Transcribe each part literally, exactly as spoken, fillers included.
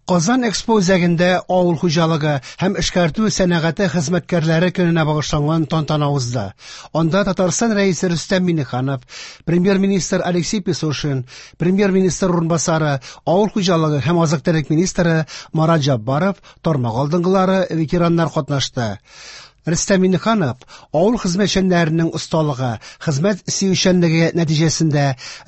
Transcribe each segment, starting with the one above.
Казан Экспо үзәгендә авыл хуҗалыгы һәм эшкәртү сәнәгате хезмәткәрләре көненә багышланган тантана узды. Анда Татарстан Рәисе Рөстәм Миңнеханов, Премьер-министр Алексей Песошин, Премьер-министр урынбасары, авыл хуҗалыгы һәм азык-төлек министры Марат Җаббаров, тармак алдынгылары, ветераннар катнашты. Рөстәм Миңнеханов авыл хезмәтчәннәренең осталыгы, хезмәт сөючәнлеге нәтиҗәсендә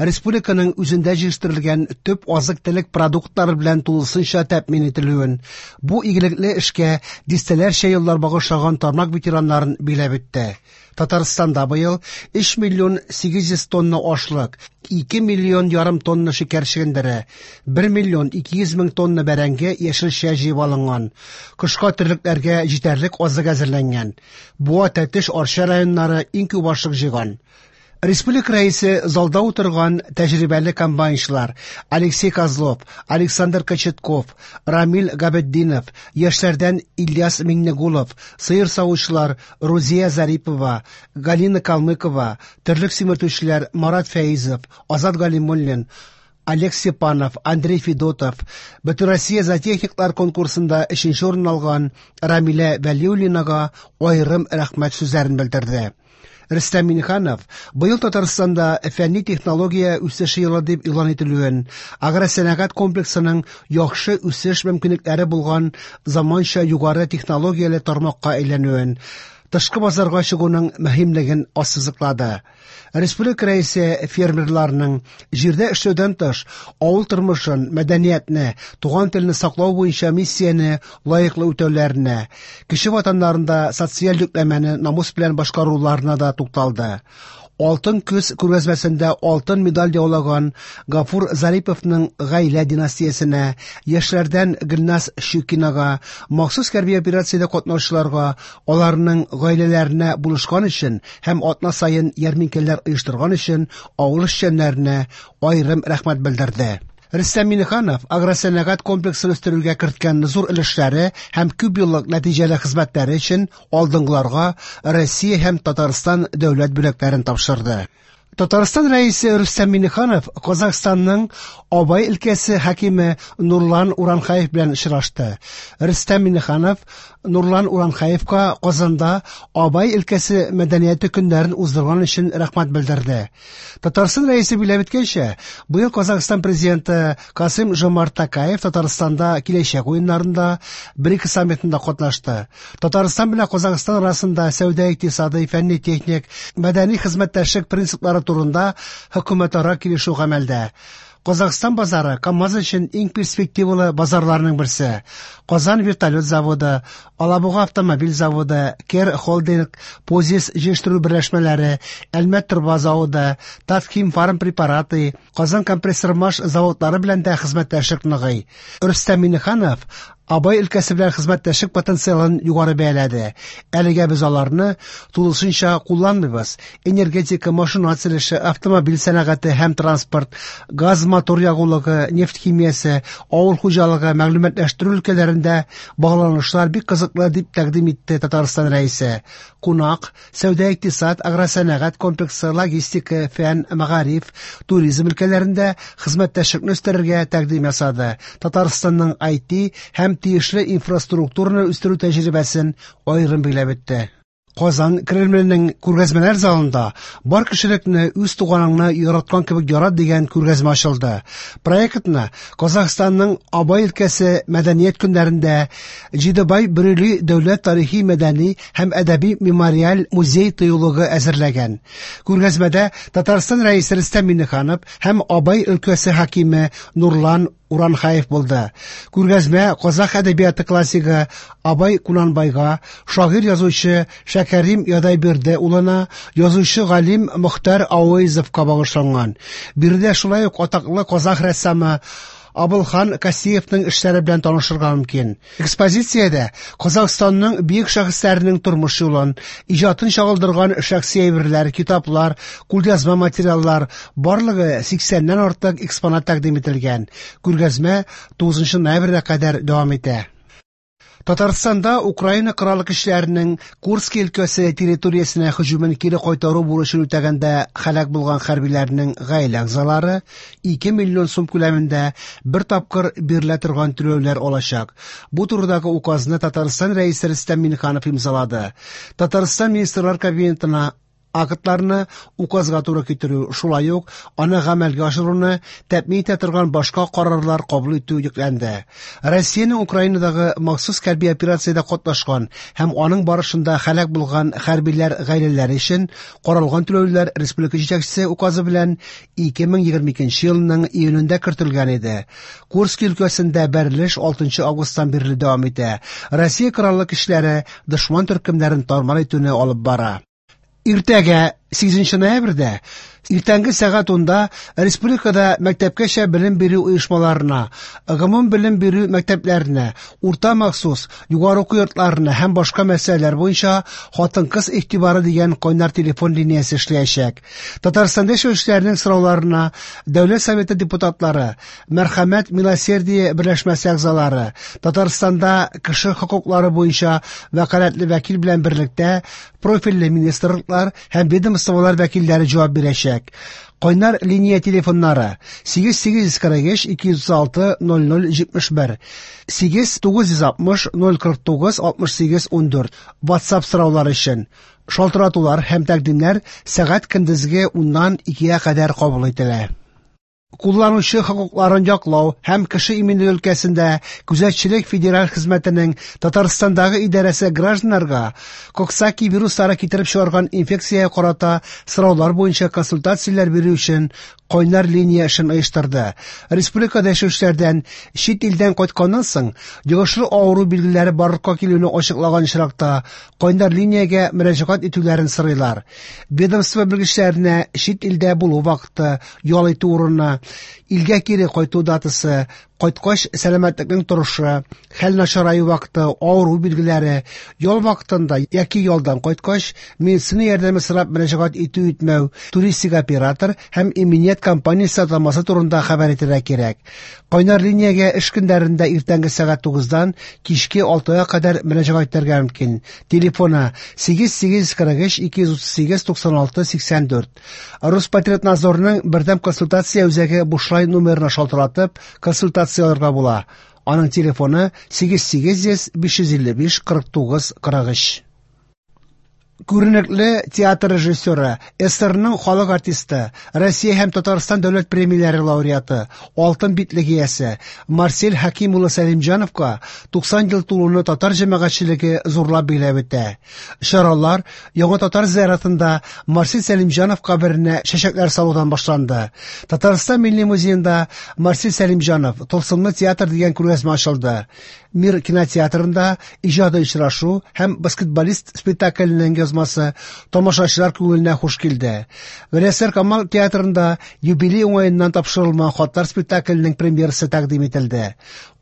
республиканың үзендә җитештерелгән төп азык-төлек продуктлары белән тулысынча тәэмин ителүен, бу игелекле эшкә дистәләрчә еллар багышлаган тармак ветераннарын биләп үтте. Татарстанда быел өч миллион сигез йөз тонна ашлык, ике миллион ярым тонна шикәр чөгендере, бер миллион ике йөз мең тонна бәрәңге яшелчә җыеп алынган. Кышка терлекләргә җитәрлек азык әзерләнгән. Буа, Тәтеш, Арча районнары иң күп ашлык җыйган. Республика рәисе залда утырган тәҗрибәле комбайнчылар Алексей Козлов, Александр Кочетков, Рамил Габетдинов, яшьләрдән Ильяс Миңнегулов, сыер савучылар Рузия Зарипова, Галина Калмыкова, терлек симертүчеләр Марат Фәизов, Азат Галимуллин, Олег Степанов, Андрей Федотов, Бөтенроссия зоотехниклар конкурсында өченче урын алган Рамилә Вәлиуллинага аерым рәхмәт сүзләрен белдерде. Рөстәм Миңнеханов быел Татарстанда фәнни технология үсеше елы дип игълан ителүен, агросәнәгать комплексының яхшы үсеш мөмкинлекләре булган заманча югары технологияле тармакка әйләнүен, тышкы базарга чыгуның мөһимлеген ассызыклады. Республика рәисе фермерларның җирдә эшләүдән тыш авыл тормышын, мәдәниятне, туган телне саклау буенча миссияне лаеклы үтәүләренә, кече ватаннарында социаль йөкләмәне намус белән башкаруларына да тукталды. Алтын көз күргәзмәсендә алтын медаль яулаган Гафур Зариповның гаилә династиясенә, яшьләрдән Гөлназ Щукинага, махсус хәрби операциядә катнашучыларга, аларның гаиләләренә булышкан өчен һәм атна саен ярминкәләр оештырган өчен авыл эшчәннәренә аерым рәхмәт белдерде. Рөстәм Миңнеханов агросәнәгать комплексын үстерүгә керткән зур өлешләре һәм күп еллык нәтиҗәле хезмәтләре өчен алдынгыларга Россия һәм Татарстан дәүләт бүләкләрен тапшырды. Татарстан Рәисе Рөстәм Миңнеханов Казахстанның Абай өлкәсе хакиме Нурлан Уранхаев белән очрашты. Рөстәм Миңнеханов Нурлан Уранхаевка Казанда Абай өлкәсе мәдәнияте көннәрен уздырган өчен рәхмәт белдерде. Татарстан Рәисе билгеләп үткәнчә, быел Казахстан президенты Касым Жомарт Токаев Татарстанда киләчәк уеннарында БРИКС саммитында катнашты. Татарстан белән Казахстан арасында сәүдә, икътисадый, фәнни-техник, мәдәни хезмәттәшлек принциплары турында хөкүмәтара килешү гамәлдә. Казахстан базары КАМАЗ өчен иң перспективалы базарларның берсе. Казан вертолет заводы, Алабуга автомобиль заводы, Кер Холдинг, Позис җитештерү берләшмәләре, Әлмәт торба заводы, Татхим фарм препараты, Казан компрессор-маш заводлары белән дә хезмәттәшлек ныгый. Рөстәм Миңнеханов Абай өлкәсе белән хезмәттәшлек потенциалын югары бәяләде. Әлегә без аларны тулысынча кулланмыйбыз. Энергетика, машина төзелеше, автомобиль сәнәгате һәм транспорт, газ мотор ягулыгы, нефть химиясе, авыл хуҗалыгы, мәгълүматлаштыру өлкәләрендә багланышлар бик кызыклы дип тәкъдим итте Татарстан Рәисе. Кунак, сәүдә, икътисад, агросәнәгать комплексы, логистика, фән, мәгариф, туризм өлкәләрендә хезмәттәшлекне үстерергә тәкъдим ясады. Татарстанның ай ти һәм тиешле инфраструктураны үстерү тәҗрибәсен аерым билгеләп үтте. Казан Кремленең күргәзмәләр залында бар кешелекне үз туганыңны яраткан кебек ярат дигән күргәзмә ачылды. Проектны Казахстанның Абай өлкәсе мәдәният көннәрендә Җидебай Бөрели дәүләт тарихи мәдәни һәм әдәби мемориаль музей тыюлыгы әзерләгән. Күргәзмәдә Татарстан Рәисе Рөстәм Миңнеханов һәм Абай өлкәсе хакиме Нурлан Уранхаев булды. Күргәзмә казах әдәбияты классигы Абай Кунанбайга, шагыйрь язучы Шәкәрим Ядайбирде улына, язучы галим Мохтар Ауэзовка багышланган. Биредә шулай ук атаклы казах рәссамы Абылхан Касиевның эшләре белән танышырга мөмкин. Экспозициядә Казахстанның бөек шәхесләренең тормыш юлын, иҗатын чагылдырган шәхси әйберләр, китаплар, кулъязма материаллар, барлыгы сиксәннән артык экспонат тәкъдим ителгән. Күргәзмә тугызынчы ноябрьгә кадәр дәвам итә. Татарстанда Украина Кораллы Көчләренең Курски өлкәсе территориясенә һөҗүмен кире кайтару бурычын үтәгәндә һәлак булган хәрбиләрнең гаилә әгъзалары ике миллион сум күләмендә бер тапкыр бирелә торган түләүләр алачак. Бу турыдагы указны Татарстан Рәисе Рөстәм Миңнеханов имзалады. Татарстан Министрлар Кабинетына актларны указга туры китерү, шулай ук аны гамәлгә ашыруны тәэмин итә торган башка карарлар кабул итү йөкләнде. Россиянең Украинадагы махсус хәрби операциядә катнашкан һәм аның барышында һәлак булган хәрбиләр гаиләләре өчен каралган түләүләр республика җитәкчесе указы белән ике мең егерме икенче елның июнендә кертелгән иде. Курски өлкәсендә бәрелеш алтынчы августтан бирле дәвам итә. Россия Кораллы Көчләре дошман төркемнәрен тармар итүне алып бара. Иртәгә сигезенче ноябрьдә иртәнге сәгать унда республикада мәктәпкәчә белем бирү оешмаларына, гомум белем бирү мәктәпләренә, урта махсус, югары уку йортларына һәм башка мәсьәләләр буенча хатын-кыз игътибары дигән кайнар телефон линиясе эшләячәк. Татарстанда яшәүчеләрнең сорауларына Дәүләт Советы депутатлары, Мәрхәмәт Милосердие берләшмәсе әгъзалары, Татарстанда кеше хокуклары буенча вәкаләтле вәкил белән берлектә профильле министрлыклар һәм ведомстволар вәкилләре җавап бирәчәк. Кайнар линия телефоннары сигез сигез йөз кырык өч ике йөз алты ноль ноль җитмеш бер, сигез тугыз йөз алтмыш ноль кырык тугыз алтмыш сигез ун дүрт. WhatsApp сораулар өчен шалтыратулар һәм тәкъдимнәр сәгать көндезге уннан икегә кадәр кабул ителә. Кулланучы хокукларын яклау һәм кеше иминлеге өлкәсендә күзәтчелек федераль хезмәтенең Татарстандагы идарәсе гражданнарга Коксаки вируслары китереп чыгарган инфекциягә карата сораулар буенча консультацияләр бирү өчен кайнар линия эшен оештырды. Республикада яшәүчеләрдән чит илдән кайтканнан соң йогышлы авыру билгеләре барлыкка килүне ачыклаган очракта кайнар линиягә мөрәҗәгать итүләрен сорыйлар. Ведомство белгечләренә чит илдә булу вакыты, ял итү урыны, илгә кире кайту датасы, кайткач сәламәтлекнең торышы, хәл начараю вакыты, авыру билгеләре, ял вакытында яки ялдан кайткач медицина ярдәме сорап мөрәҗәгать итү итмәү, туристик оператор һәм иминият компаниясе атамасы турында хәбәр итәргә кирәк. Кайнар линиягә эш көннәрендә иртәнге сәгать тугыздан кичке алтыга кадәр мөрәҗәгать итәргә мөмкин. Телефоны сигез сигез кырык өч ике йөз утыз сигез туксан алты сиксән дүрт. Роспотребнадзорның бердәм консультация үзәге бушлай номерына шалтыратып консультация алырга була. Аның телефоны сигез сигез йөз биш йөз илле биш кырык тугыз кырык өч. Күренекле театр режиссеры, СССРның халык артисты, Россия һәм Татарстан дәүләт премияләре лауреаты, Алтын битлек иясе Марсель Хәким улы Сәлимҗановка туксан ел тулуны татар җәмәгатьчелеге зурлап билгеләп үтә. Чаралар Яңа татар зиратында Марсель Сәлимҗанов каберенә чәчәкләр салудан башланды. Татарстан Милли музеенда Марсель Сәлимҗанов Тылсымлы театр дигән күргәзмә ачылды. Мир кинотеатрында иҗади очрашу һәм баскетболист спектакленең язмасы тамашачылар күңеленә хуш килде. Галиәсгар Камал театрында юбилей уңаеннан тапшырылган хатлар спектакленең премьерасы тәкъдим ителде.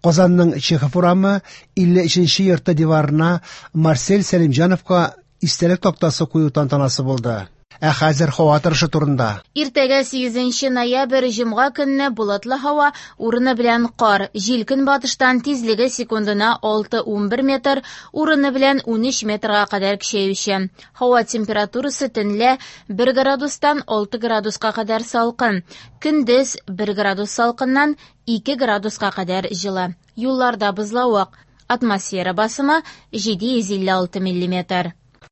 Казанның Чехов урамы илле өченче йорты диварына Марсель Сәлимҗановка истәлек тактасы кую тантанасы булды. Ә хәзер һава торышы турында. Иртәгә сигезенче ноябрь җомга көнне болытлы һава, урыны белән кар, җил көнбатыштан тизлеге секундына алты унбер метр, урыны белән унөч метрга кадәр көчәюче. Һава температурасы төнлә бер градустан алты градуска кадәр салкын, көндез бер градус салкыннан ике градуска кадәр җылы. Юлларда бозлавык. Атмосфера басымы җиде йөз илле алты миллиметр.